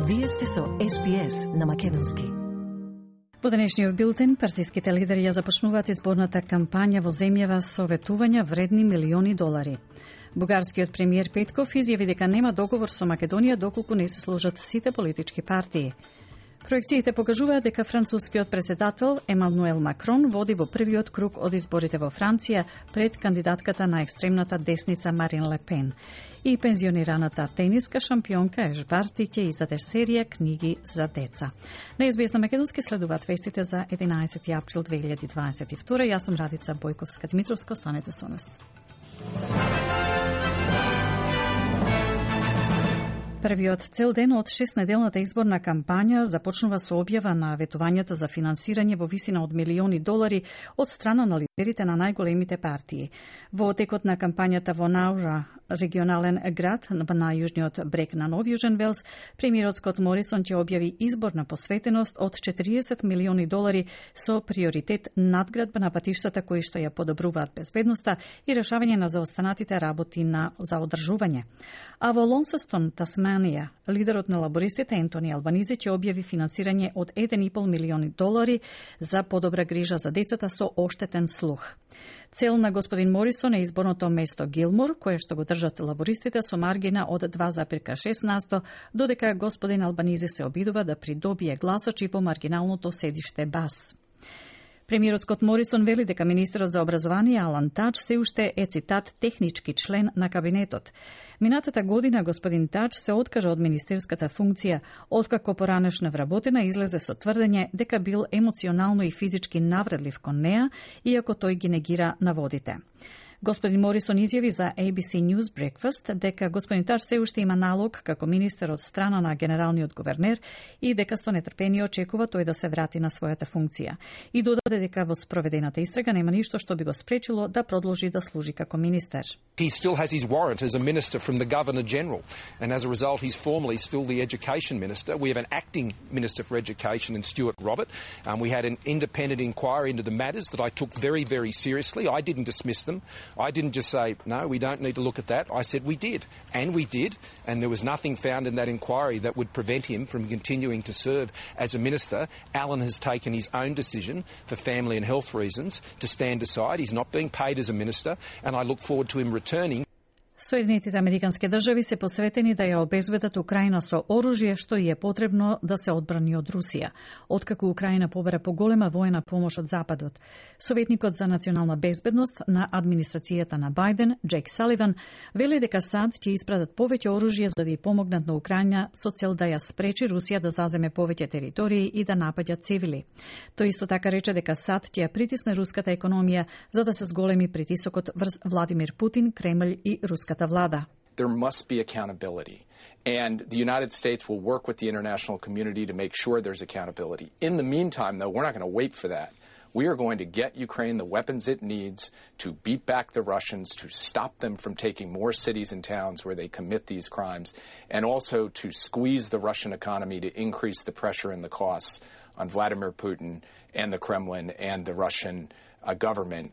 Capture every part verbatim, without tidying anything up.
Вие сте со Ес Би Ес на македонски. Во денешниот билтен, партиските лидери ја започнуваат изборната кампања во земјава со ветувања вредни милиони долари. Бугарскиот премиер Петков изјави дека нема договор со Македонија доколку не се сложат сите политички партии. Проекциите покажуваат дека францускиот претседател Емануел Макрон води во првиот круг од изборите во Франција пред кандидатката на екстремната десница Марин Ле Пен. И пензионираната тениска шампионка Еш Барти ќе издаде серија книги за деца. На Ес Би Ес на македонски следуваат вестите за единаесети април две илјади дваесет и втора. Јас сум Радица Бојковска-Дмитровска, останете со нас. Првиот цел ден од шестнеделната изборна кампања започнува со објава на ветувањата за финансирање во висина од милиони долари од страна на лидерите на најголемите партии. Во текот на кампањата во Наура, регионален град на јужниот брег на Нов Јужен Велс, премиерот Скот Морисон ќе објави изборна посветеност од четириесет милиони долари со приоритет надградба на патиштата кои што ја подобруваат безбедноста и решавање на заостанатите работи на за одржување. А во Лонсестон, Тасманија, лидерот на лабористите Ентони Албанизи ќе објави финансирање од еден и пол милиони долари за подобра грижа за децата со оштетен слух. Цел на господин Морисон е изборното место Гилмор, кое што го држат лабористите со маргина од два запирка шест насто, додека господин Албанизи се обидува да придобие гласачи во маргиналното седиште Бас. Премиерот Скот Морисон вели дека министерот за образование Алан Тач се уште е, цитат, технички член на кабинетот. Минатата година господин Тач се откажа од министерската функција, откако поранешна вработена излезе со тврдење дека бил емоционално и физички навредлив кон неа, иако тој ги негира наводите. Господин Морисон изјави за Ей Би Си News Breakfast дека господин Тач се уште има налог како министер од страна на генералниот гувернер и дека со нетрпение очекува тој да се врати на својата функција. И додаде дека во спроведената истрага нема ништо што би го спречило да продолжи да служи како министер. He still has his warrant as a minister from the Governor General, and as a result he's formally still the Education Minister. We have an acting Minister for Education in Stuart Robert. Um, we had an independent inquiry into the matters that I took very, very seriously. I didn't dismiss them. I didn't just say, no, we don't need to look at that. I said we did, and we did, and there was nothing found in that inquiry that would prevent him from continuing to serve as a minister. Alan has taken his own decision for family and health reasons to stand aside. He's not being paid as a minister, and I look forward to him returning. Соединетите американски држави се посветени да ја обезбедат Украина со оружје што и е потребно да се одбрани од Русија, откако Украина побара поголема воена помош од Западот. Советникот за национална безбедност на администрацијата на Бајден, Джейк Саливан, вели дека САД ќе испратат повеќе оружје за да ја помогнат на Украина со цел да ја спречи Русија да заземе повеќе територии и да напаѓа цивили. Тој исто така рече дека САД ќе ја притисне руската економија за да се зголеми притисокот врз Владимир Путин, Кремљ и руската влада. There must be accountability, and the United States will work with the international community to make sure there's accountability. In the meantime, though, we're not going to wait for that. We are going to get Ukraine the weapons it needs to beat back the Russians, to stop them from taking more cities and towns where they commit these crimes, and also to squeeze the Russian economy to increase the pressure and the costs on Vladimir Putin and the Kremlin and the Russian uh, government.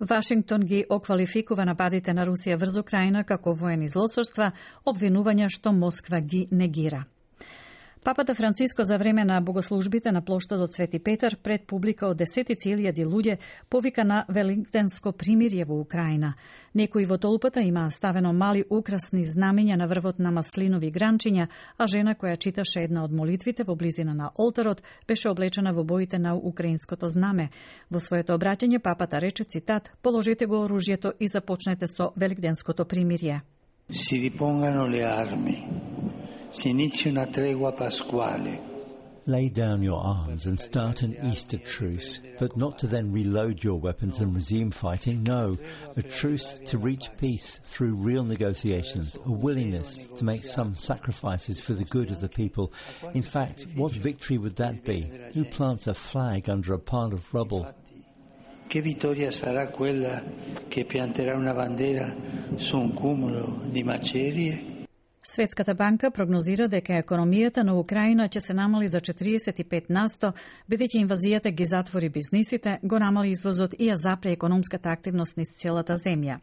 Вашингтон ги оквалификува нападите на Русија врз Украина како воени злосторства, обвинувања што Москва ги негира. Папата Франциско за време на богослужбите на плоштадот Свети Петар пред публика од десетици илјади луѓе повика на великденско примирје во Украина. Некои во толпата имаа ставено мали украсни знамења на врвот на маслинови гранчиња, а жена која читаше една од молитвите во близина на олтарот беше облечена во боите на украинското знаме. Во своето обраќање папата рече, цитат, положете го оружјето и започнете со великденското примирје. Си рипонгано ле арми. Si inizia una tregua pasquale. Lay down your arms and start an Easter truce, but not to then reload your weapons and resume fighting. No, a truce to reach peace through real negotiations, a willingness to make some sacrifices for the good of the people. In fact, what victory would that be? Who plants a flag under a pile of rubble? Che vittoria sarà quella che pianterà una bandera su un cumulo di macerie? Светската банка прогнозира дека економијата на Украина ќе се намали за четириесет и пет насто, бидејќи инвазијата ги затвори бизнисите, го намали извозот и ја запре економската активност низ целата земја.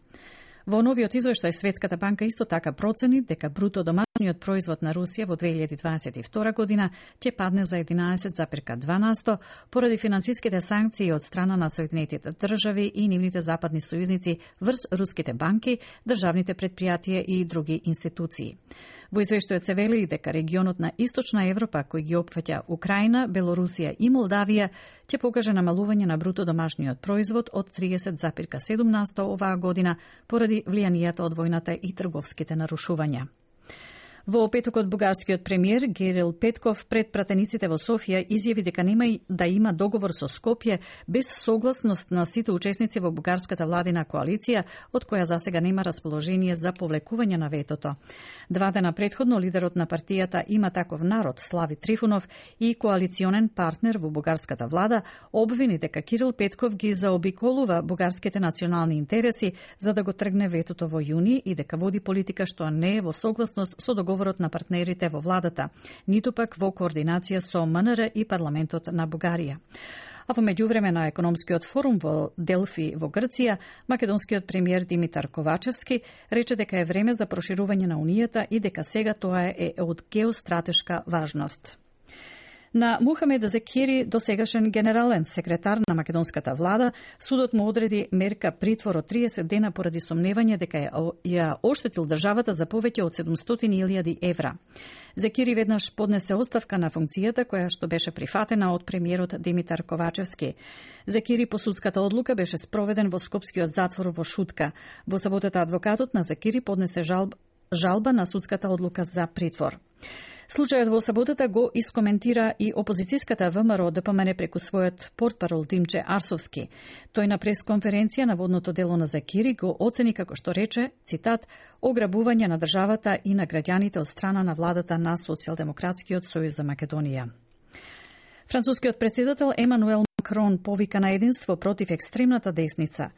Во новиот извештај Светската банка исто така процени дека бруто домашниот домашниот производ на Русија во две илјади дваесет и втора година ќе падне за единаесет запирка две на сто поради финансиските санкции од страна на Соединетите држави и нивните западни сојузници врз руските банки, државните предпријатија и други институции. Во извештајот се вели дека регионот на Источна Европа, кој ги опфаќа Украина, Белорусија и Молдавија, ќе покаже намалување на бруто домашниот производ од триесет запирка седум на сто оваа година поради влијанието од војната и трговските нарушувања. Во петокот бугарскиот премиер Кирил Петков пред пратениците во Софија изјави дека нема да има договор со Скопје без согласност на сите учесници во бугарската владина коалиција, од која засега нема расположение за повлекување на ветото. Два дена предходно лидерот на партијата Има таков народ Слави Трифунов и коалиционен партнер во бугарската влада обвини дека Кирил Петков ги заобиколува бугарските национални интереси за да го тргне ветото во јуни и дека води политика што не е во согласност со договор на партнерите во владата, ниту пак во координација со М Н Р и парламентот на Бугарија. А во меѓувреме на економскиот форум во Делфи во Грција, македонскиот премиер Димитар Ковачевски рече дека е време за проширување на Унијата и дека сега тоа е од геостратешка важност. На Мухамед Зекири, досегашен генерален секретар на македонската влада, судот му одреди мерка притвор од триесет дена поради сомневање дека ја оштетил државата за повеќе од седумстотини илјади евра. Зекири веднаш поднесе оставка на функцијата која што беше прифатена од премиерот Димитар Ковачевски. Зекири по судската одлука беше спроведен во скопскиот затвор во Шутка. Во саботата адвокатот на Зекири поднесе жалб, жалба на судската одлука за притвор. Случајот во саботата го искоментира и опозицијската ВМРО Д П М Н преку својот портпарол Димче Арсовски. Тој на пресконференција на водното дело на Зекири го оцени како што рече, цитат, ограбување на државата и на граѓаните од страна на владата на Социјалдемократскиот сојуз за Македонија. Францускиот председател Емануел Макрон повика на единство против екстремната десница.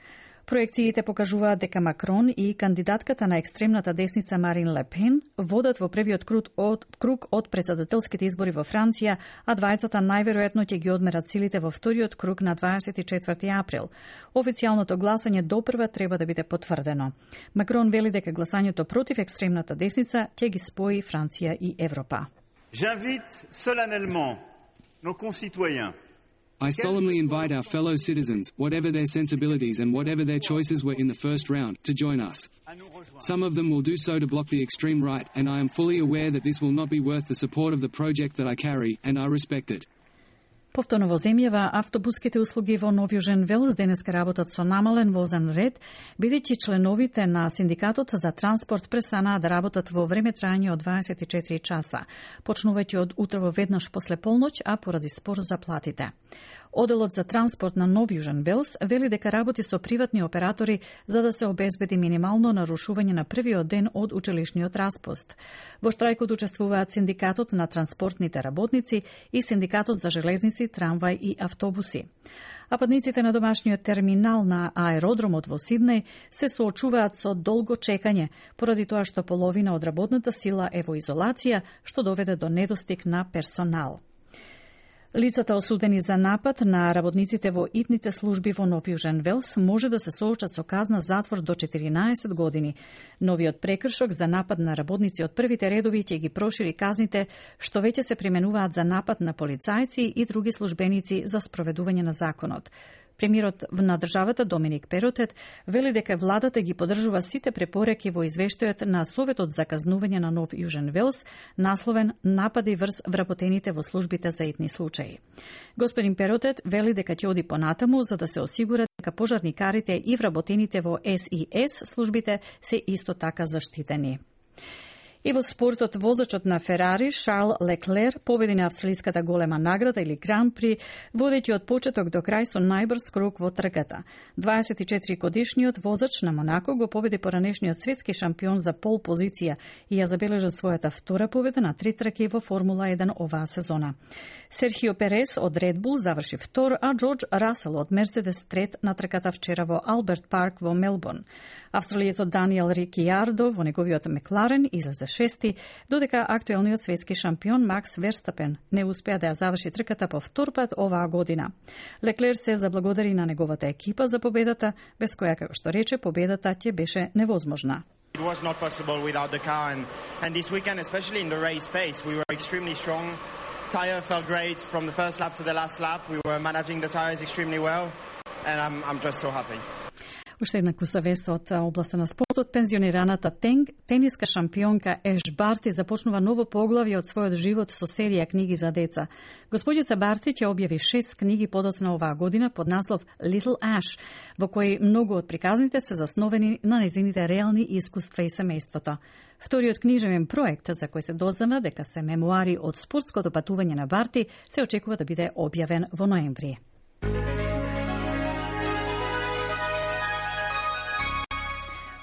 Проекциите покажуваат дека Макрон и кандидатката на екстремната десница Марин Ле Пен водат во првиот круг од, круг од председателските избори во Франција, а двајцата најверојатно ќе ги одмерат силите во вториот круг на дваесет и четврти април. Официјалното гласање допрва треба да биде потврдено. Макрон вели дека гласањето против екстремната десница ќе ги спои Франција и Европа. J'invite solennellement nos concitoyens I solemnly invite our fellow citizens, whatever their sensibilities and whatever their choices were in the first round, to join us. Some of them will do so to block the extreme right, and I am fully aware that this will not be worth the support of the project that I carry, and I respect it. Повторно во земјава, автобуските услуги во Нов Јужен Велс денеска работат со намален возен ред, бидејќи членовите на Синдикатот за транспорт престанаа да работат во време трајање од дваесет и четири часа, почнувајќи од утрово веднаш после полноќ, а поради спор за платите. Оделот за транспорт на Нов Јужен Велс вели дека работи со приватни оператори за да се обезбеди минимално нарушување на првиот ден од училишниот распуст. Во штрајкот учествуваат Синдикатот на транспортните работници и Синдикатот за железници, трамвај и автобуси. А патниците на домашниот терминал на аеродромот во Сиднеј се соочуваат со долго чекање, поради тоа што половина од работната сила е во изолација, што доведе до недостиг на персонал. Лицата осудени за напад на работниците во итните служби во Нов Јужен Велс може да се соочат со казна затвор до четиринаесет години. Новиот прекршок за напад на работници од првите редови ќе ги прошири казните што веќе се применуваат за напад на полицајци и други службеници за спроведување на законот. Премиерот на државата Доминик Перотет вели дека владата ги поддржува сите препораки во извештајот на Советот за казнување на Нов Јужен Велс, насловен Напади врз вработените во службите за итни случаи. Господин Перотет вели дека ќе оди понатаму за да се осигура дека пожарникарите и вработените во С И С службите се исто така заштитени. И во спортот, возачот на Ферари, Шарл Леклер, победи на австралиската голема награда или Гран При, водејќи од почеток до крај со најбрз круг во трката. дваесет и четири годишниот возач на Монако го победи поранешниот светски шампион за пол позиција и ја забележа својата втора победа на три трки во Формула еден оваа сезона. Серхио Перес од Ред Бул заврши втор, а Джордж Расел од Мерцедес трет на трката вчера во Алберт Парк во Мелбурн. Австралиецот Даниел Рикијардо во неговиот Мекларен излезе шести, додека актуелниот светски шампион Макс Верстапен не успеа да ја заврши трката по втор пат оваа година. Леклер се заблагодари на неговата екипа за победата, без која, како што рече, победата ќе беше невозможна. It was not possible without the car, and, and this weekend, especially in the race pace, we were extremely strong. Tire felt great from the first lap to the last lap. We were managing the tires extremely well, and I'm, I'm just so happy. Уште една куса вест од областа на спортот. Пензионираната тенг, тениска шампионка Еш Барти започнува ново поглавје од својот живот со серија книги за деца. Господица Барти ќе објави шест книги подоцна оваа година под наслов Little Ash, во кои многу од приказните се засновени на незините реални искуства и семејството. Вториот книжевен проект, за кој се дознава дека се мемуари од спортското патување на Барти, се очекува да биде објавен во ноември.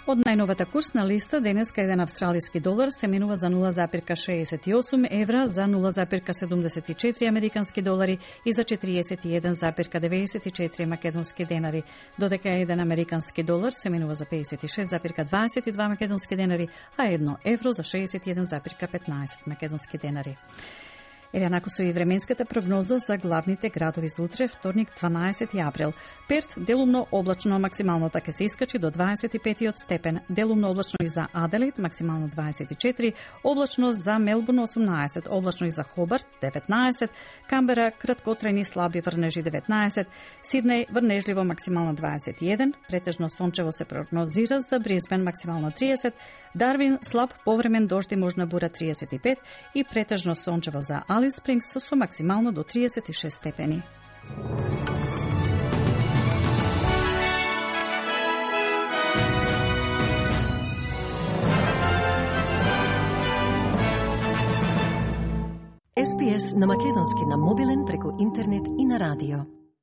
Од најновата курсна листа, денеска еден австралиски долар се менува за нула запирка шеесет и осум евра, за нула запирка седумдесет и четири американски долари и за четириесет и еден запирка деветдесет и четири македонски денари, додека еден американски долар се менува за пеесет и шест запирка дваесет и два македонски денари, а едно евро за шеесет и еден запирка петнаесет македонски денари. Еве накако со и временската прогноза за главните градови за утре, вторник, дванаесети април. Перт, делумно облачно, максималната ќе се искачи до дваесет и пет степен. Делумно облачно и за Аделаид, максимално дваесет и четири, облачно за Мелбурн осумнаесет, облачно и за Хобарт деветнаесет, Камбера краткотрајни слаби врнежи деветнаесет, Сиднеј врнежливо максимално дваесет и еден, претежно сончево се прогнозира за Брисбен максимално триесет, Дарвин слаб повремен дожд и можна бура триесет и пет и претежно сончево за Алис Спрингс со максимално до триесет и шест степени. Ес Би Ес на македонски на мобилен преку интернет и на радио.